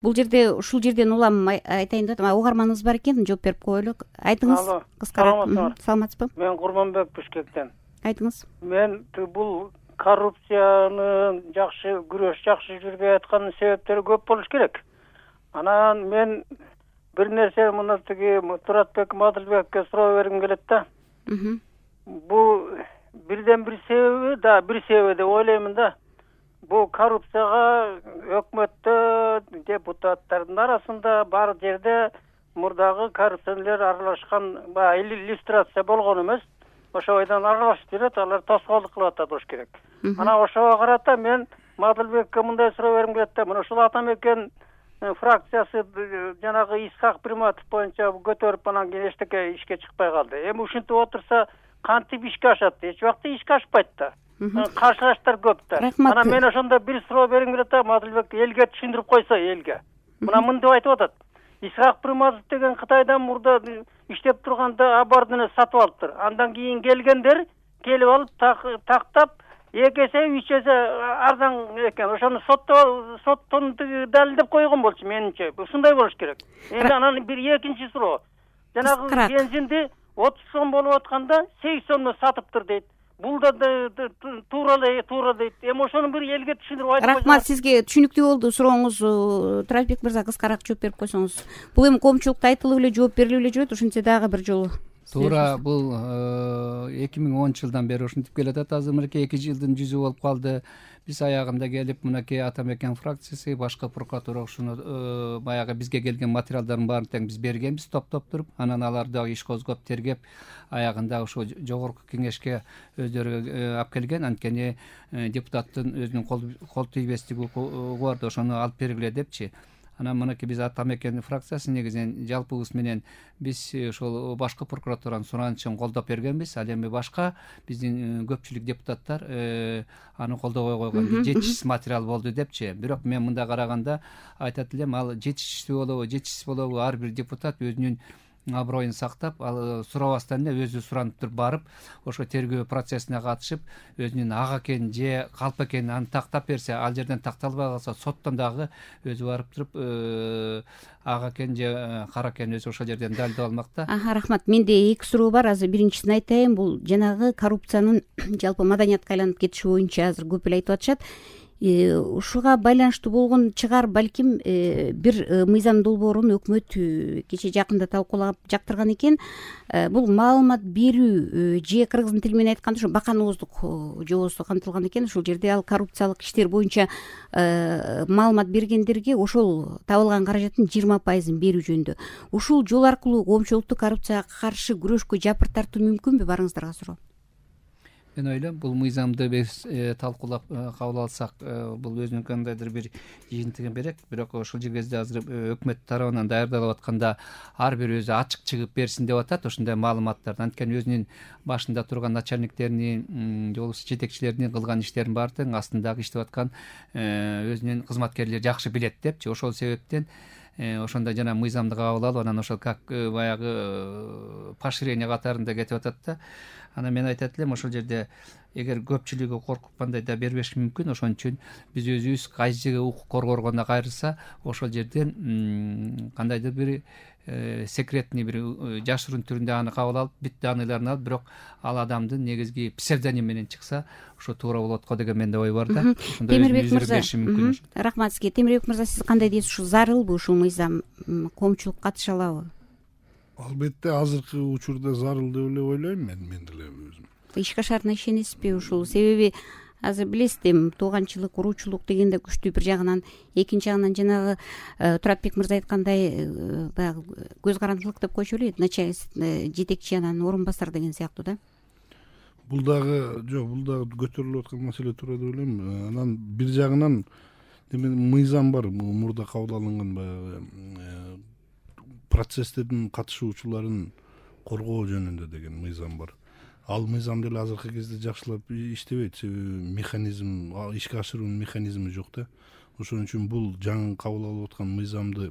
Бул жерде ушул жерден улам айтайын деп атам. Угарманыбыз бар экен, жооп берип коелу. Айтыңыз. Алло. Кыскараак. Саламатсызбы? Мен Курманбек Бишкектен. Айтыңыз. Мен бул коррупцияны жакшы күрөш жакшы жүрбөй атканын себептери көп болуш керек. Анан мен бир нерсе мына тиги Туратбек Мадылбекке суроо бергим келет да. Бул бирден бир себеби деп ойлоймун да. Бул коррупцияга өкмөттө, депутаттардын арасында бар жерде мурдагы коррупционерлер аралашкан, иллюстрация болгон эмес. Ошо бойдон аралашып жүрөт, алар тоскоолдук кылып атат болуш керек. Анан ошого карата мен Мадылбекке мындай суроо бергим келет да. Мына ушул ата мекен фракциясы жанагы Исхак Приматов боюнча көтөрүп анан кийин эчтеке ишке чыкпай калды. Эми ушинтип отурса кантип ишке ашат? Эч убакта ишке ашпайт да. Каршылаштар көп да. Анан мен ошондо бир суроо бергим келет да, Мадылбек элге түшүндүрүп койсо элге. Мына мынтип айтып атат. Исхак Приматов деген Кытайдан мурда иштеп турганда абардыны сатып алыптыр. Андан кийин келгендер келип алып тактап 2 эсе 3 эсе арзан экен. Ошону соттон далилдеп койгон болчу менимче. Ушундай болуш керек. Эми анан бир экинчи суроо. Жанагы бензинди 30 сом болуп атканда 8 сомдон сатыптыр дейт. Бул да туура дейт. Эми ошону бир элге түшүндүрүп айтып. Рахмат, сизге түшүнүктүү болду сурооңуз. Туратбек мырза, кыскараак жооп берип койсоңуз. Бул эми коомчулукта айтылып эле жооп берилип эле жүрөт. Ошентсе дагы бир жолу. Туура, бул 2010 жылдан бери ушинтип келатат. Азыр мынакей 2 жылдын жүзү болуп калды. Биз аягында келип мынакей ата мекен фракциясы, башкы прокуратура ушуну баягы бизге келген материалдардын баарын тең биз бергенбиз топтоп туруп. Анан алар дагы иш козгоп тергеп аягында ошо жогорку кеңешке өздөрү алып келген. Анткени депутаттын өзүнүн кол тийбестиги укугу бар да, ошону алып бергиле депчи. Анан мынакей биз ата мекен фракциясы негизинен жалпыбыз менен биз ошол башкы прокуратуранын суранычын колдоп бергенбиз. Ал эми башка биздин көпчүлүк депутаттар аны колдобой койгон, жетишсиз материал болду депчи. Бирок мен мындай караганда айтат элем, ал жетишсиз болобу ар бир депутат өзүнүн аброюн сактап, ал сурабастан эле өзү суранып туруп барып, ошо тергөө процессине катышып, өзүнүн ак экенин же калп экенин аны тактап берсе, ал жерден такталбай калса, соттон дагы өзү барып туруп ак экен же кара экенин өзү ошол жерден далилдеп алмак да. Рахмат. Менде 2 суроо бар. Азыр биринчисин айтайын. Бул жанагы коррупциянын жалпы маданиятка айланып кетиши боюнча азыр көп эле айтып атышат. Ушуга байланыштуу болгон чыгар балким бир мыйзам долбоорун өкмөт кече жакында талкуулап жактырган экен. Бул маалымат берүү же кыргыз тили менен айтканда ошо баканооздук жобосу камтылган экен. Ушул жерде ал коррупциялык иштер боюнча маалымат бергендерге ошол табылган каражаттын 20% берүү жөнүндө. Ушул жол аркылуу коомчулукту коррупцияга каршы күрөшкө жапыр тартуу мүмкүнбү? Барыңыздарга суроо. Мен ойлойм, бул мыйзамды биз талкуулап кабыл алсак, бул өзүнүн кандайдыр бир жыйынтыгын берет. Бирок ошол кезде азыр өкмөт тарабынан даярдалып атканда ар бир өзү ачык чыгып берсин деп атат ошондой маалыматтарды. Анткени өзүнүн башында турган начальниктеринин, же болбосо жетекчилеринин кылган иштерин баары тең астындагы иштеп аткан өзүнүн кызматкерлери жакшы билет депчи. Ошол себептен ошондой жана мыйзамды кабыл алып, анан ошол как баягы поощрение катарында кетип атат да. Анан мен айтат элем, ошол жерде эгер көпчүлүгү коркуп кандай да бербеши мүмкүн. Ошон үчүн биз өзүбүз кайсы укук коргогонго кайрылса, ошол жерден кандайдыр бир секретный бир жашыруун түрүндө аны кабыл алып, бүт данныйларын алып, бирок ал адамдын негизги псевдоним менен чыкса, ошо туура болот го деген менде ой бар да. Темирбек мырза, рахмат сизге. Темирбек мырза, сиз кандай дейсиз? Ушул зарылбы ушул мыйзам? Коомчулук катыша алабы? Албетте азыркы учурда зарыл деп эле ойлойм мен деле өзүм. Ишке ашарына ишенесизби ушул? Себеби азыр билесиз, тууганчылык, уруучулук дегенде күчтүү бир жагынан, экинчи жагынан жанагы Туратбек мырза айткандай баягы көз карандылык деп койчу эле, жетекчи анан орун басар деген сыяктуу да. Бул дагы көтөрүлүп аткан маселе туура деп ойлойм. Анан бир жагынан мыйзам бар, мурда кабыл алынган баягы процесстердин катышуучуларын коргоо жөнүндө деген мыйзам бар. Ал мыйзам деле азыркы кезде жакшылап иштебейт, себеби механизм, ишке ашыруунун механизми жок да. Ошон үчүн бул жаңы кабыл алып аткан мыйзамды,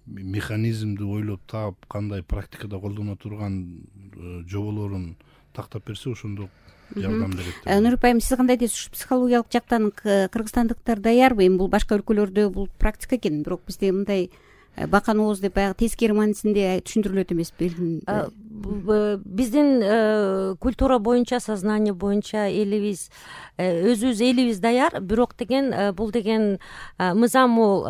механизмди ойлоп таап, кандай практикада колдоно турган жоболорун тактап берсе, ошондо жардам берет. Нурип айым, сиз кандай дейсиз? Психологиялык жактан кыргызстандыктар даярбы? Эми бул башка өлкөлөрдө бул практика экен, бирок бизде мындай бакан ооз деп баягы тескери маанисинде түшүндүрүлөт эмеспи? Биздин культура боюнча, сознание боюнча элибиз, өзүбүз элибиз даяр, бирок деген бул деген мыйзам бул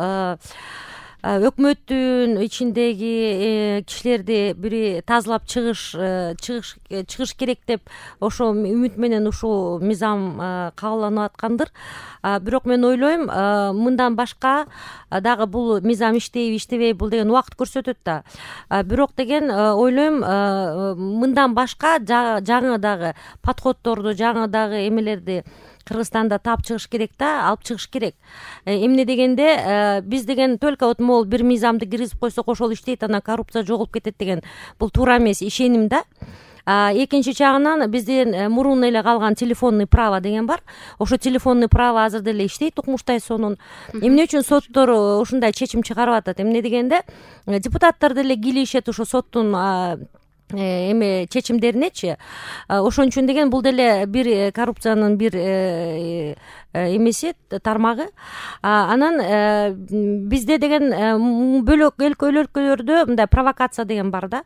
өкмөттүн ичиндеги кишилерди бири тазалап чыгыш керек деп ошо үмүт менен ушул мыйзам кабылданып аткандыр. Бирок мен ойлойм, мындан башка дагы бул мыйзам иштейби иштебейби, бул деген убакыт көрсөтөт да. Бирок деген ойлойм, мындан башка жаңы дагы подходдорду, жаңы дагы эмелерди Кыргызстанда таап чыгыш керек да, алып чыгыш керек. Эмне дегенде, биз деген только вот могул бир мыйзамды киргизип койсок ошол иштейт, анан коррупция жоголуп кетет деген бул туура эмес ишеним да. Экинчи жагынан бизден мурун эле калган телефонный право деген бар. Ошо телефонный право азыр деле иштейт Укмуштай сонун. Эмне үчүн соттор ушундай чечим чыгарып атат? Эмне дегенде, депутаттар деле кийлешет ошо соттун эме чечимдеринечи. Ошон үчүн деген бул деле бир коррупциянын бир эмеси, тармагы. Анан бизде деген бөлөк өлкөлөрдө мындай провокация деген бар да.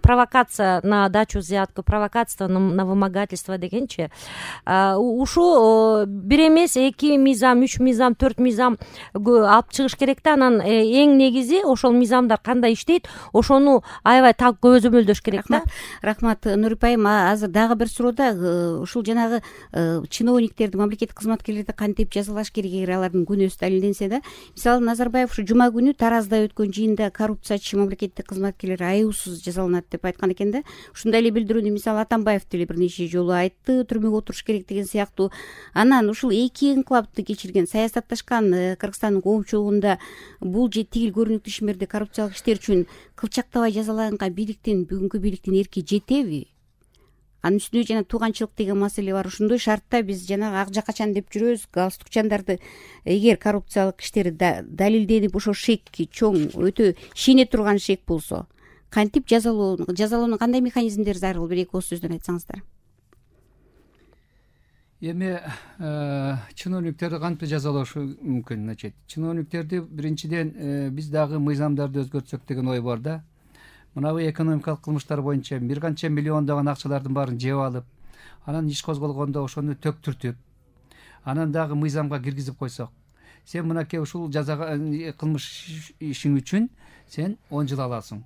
Провокация на дачу взятку, провокация на вымогательство дегенчи. Ушу бир эмес, 2 мыйзам, 3 мыйзам, 4 мыйзам алып чыгыш керек да. Анан эң негизи ошол мыйзамдар кандай иштейт, ошону аябай так көзөмөлдөш керек. Рахмат, Нурип айым. Азыр дагы бир суроо да, ушул жанагы чиновниктерди, мамлекеттик кызматкерлерди кантип жазалаш керек эгер алардын күнөөсү далилденсе да. Мисалы, Назарбаев ушу жума күнү Таразда өткөн жыйында коррупциячы мамлекеттик кызматкерлер айуусуз жазаланат деп айткан экен да. Ушундай эле билдирүүнү мисалы Атамбаев деле бир нече жолу айтты, түрмөгө отуруш керек деген сыяктуу. Анан ушул 2 инкылапты кечирген, саясатташкан Кыргызстандын коомчулугунда бул же тигил көрүнүктүү ишмерди, коррупциялык иштер үчүн кылчактабай жазаланган бийликтин, бүгүнкү бийликтин эрки жетеби? Анын үстүнө жана тууганчылык деген маселе бар. Ошондой шартта биз жанагы ак жакачан деп жүрөбүз, галстукчандарды эгер коррупциялык иштери далилденип ошо шек чоң, өтө ишене турган шек болсо, кантип жазалоонун кандай механизмдери зарыл? Бир 2 ооз сөздөн айтсаңыздар. Эми чиновниктерди кантип жазалаш мүмкүн? Значит, чиновниктерди биринчиден биз дагы мыйзамдарды өзгөртсөк деген ой бар да. Мынабу экономикалык кылмыштар боюнча бир канча миллиондогон акчалардын баарын жеп алып, анан иш козголгондо ошону төктүртүп, анан дагы мыйзамга киргизип койсок, сен мынакей ушул жазага кылмыш ишиң үчүн сен 10 жыл аласың.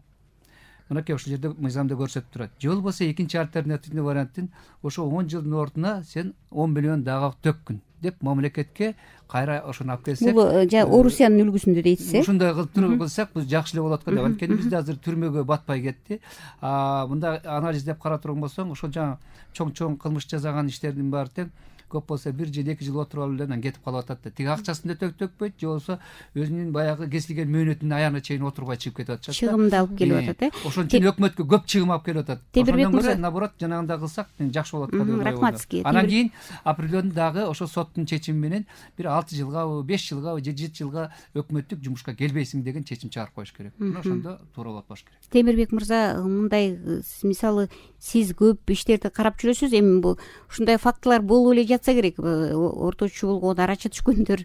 Мынакей ушул жерде мыйзамда көрсөтүп турат. Же болбосо экинчи альтернативный варианттын ошо 10 жылдын ордуна сен 10 миллион дагы төккүн деп мамлекетке кайра ошону алып келсек. Бул Орусиянын үлгүсүндө дейсиз. Ушундай кылсак биз жакшы эле болот го деп. Анткени бизде азыр түрмөгө батпай кетти. Мында анализдеп карап турган болсоң, ошол жаңы чоң кылмыш жасаган иштердин баары тең көп болсо 1 жыл 2 жыл отуруп алып эле анан кетип калып атат да. Тиги акчасын да төкпөйт, же болбосо өзүнүн баягы кесилген мөөнөтүнүн аягына чейин отурбай чыгып кетип атышат. Чыгымды алып келип атат, Ошон үчүн өкмөткө көп чыгым алып келип атат. Темирбек мырза, наоборот, жанагындай кылсак жакшы болот го деп. Рахмат. Анан кийин определенный дагы ошо соттун чечими менен бир 6 жылгабы, 5 жылгабы же 7 жылга өкмөттүк жумушка келбейсиң деген чечим чыгарып коюш керек. Ошондо туура болот болуш керек. Темирбек мырза, мындай мисалы сиз көп иштерди карап жүрөсүз, эми бул ушундай фактылар болуп эле жатса керек. Орточу болгон, арачы түшкөндөр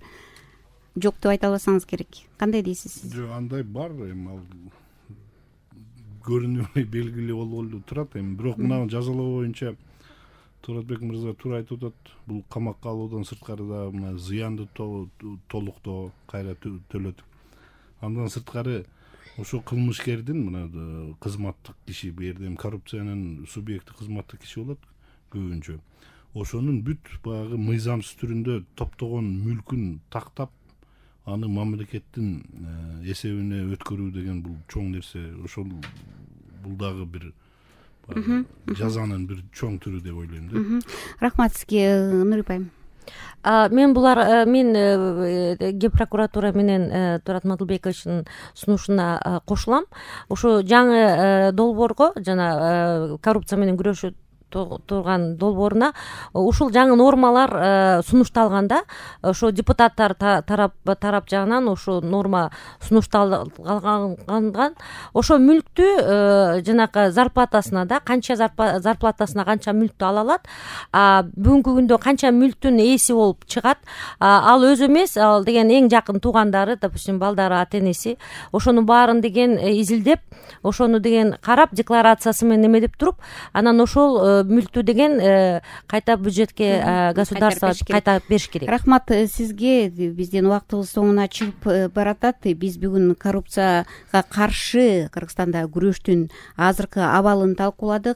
жок деп айта албасаңыз керек. Кандай дейсиз? Жок, андай бар, эми ал көрүнүп белгилүү болуп эле турат. Эми бирок мына жазалоо боюнча Туратбек мырза туура айтып атат. Бул камакка алуудан сырткары да мына зыянды толуктоо кайра төлөтүп, андан сырткары ошо кылмышкердин мына кызматтык киши, бу жерде коррупциянын субъекти кызматтык киши болот көбүнчө. Ошонун бүт баягы мыйзамсыз түрүндө топтогон мүлкүн тактап, аны мамлекеттин эсебине өткөрүү деген бул чоң нерсе. Ошол бул дагы бир жазанын бир чоң түрү деп ойлойм да. Рахмат сизге, Нурип айым. Мен Ген прокуратура менен Турат Мадылбековичтин сунушуна кошулам. Ошо жаңы долбоорго жана коррупция менен күрөшүү турган долбооруна ушул жаңы нормалар сунушталганда ошо депутаттар тарап жагынан ошо норма сунушталган ошо мүлктү жанагы зарплатасына да канча зарплатасына канча мүлктү ала алат, бүгүнкү күндө канча мүлктүн ээси болуп чыгат, ал өзү эмес, ал деген эң жакын туугандары, допустим балдары, ата энеси, ошонун баарын деген изилдеп, ошону деген карап, декларациясы менен эмедеп туруп, анан ошол мүлктү деген кайта бюджетке, государствого кайтарып бериш керек. Рахмат сизге. Биздин убактыбыз соңуна чыгып баратат. Биз бүгүн коррупцияга каршы Кыргызстанда күрөштүн азыркы абалын талкууладык.